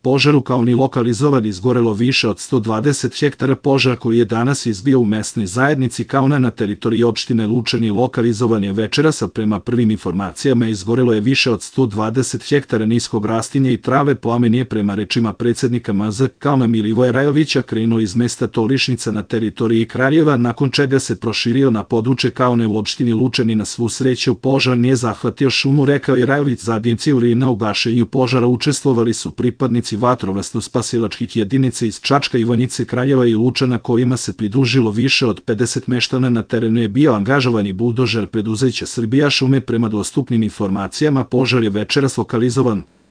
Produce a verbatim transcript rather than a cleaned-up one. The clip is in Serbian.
požaru kao ni lokalizovan izgorelo više od sto dvadeset hektara. Požar koji je danas izbio u mesnoj zajednici Kauna na teritoriji opštine Lučani lokalizovan je večeras, a prema prvim informacijama izgorelo je više od sto dvadeset hektara niskog rastinja i trave. Plamen je prema rečima predsednika M Z Kauna Milivoja Rajovića krenuo iz mesta Tolišnica na teritoriji Kraljeva, nakon čega se proširio na područje Kaune u opštini Lučani. Na svu sreću požar nije zahvatio šumu, rekao je Rajović. Zadnjici u na ugašenju požara učestvovali su pripadnici vatrogasno-spasilačkih jedinica iz Čačka, Ivanjice, Kraljeva i Lučana, kojima se pridružilo više od pedeset meštana. Na terenu je bio angažovan i buldožer preduzeća Srbija šume. Prema dostupnim informacijama požar je večeras lokalizovan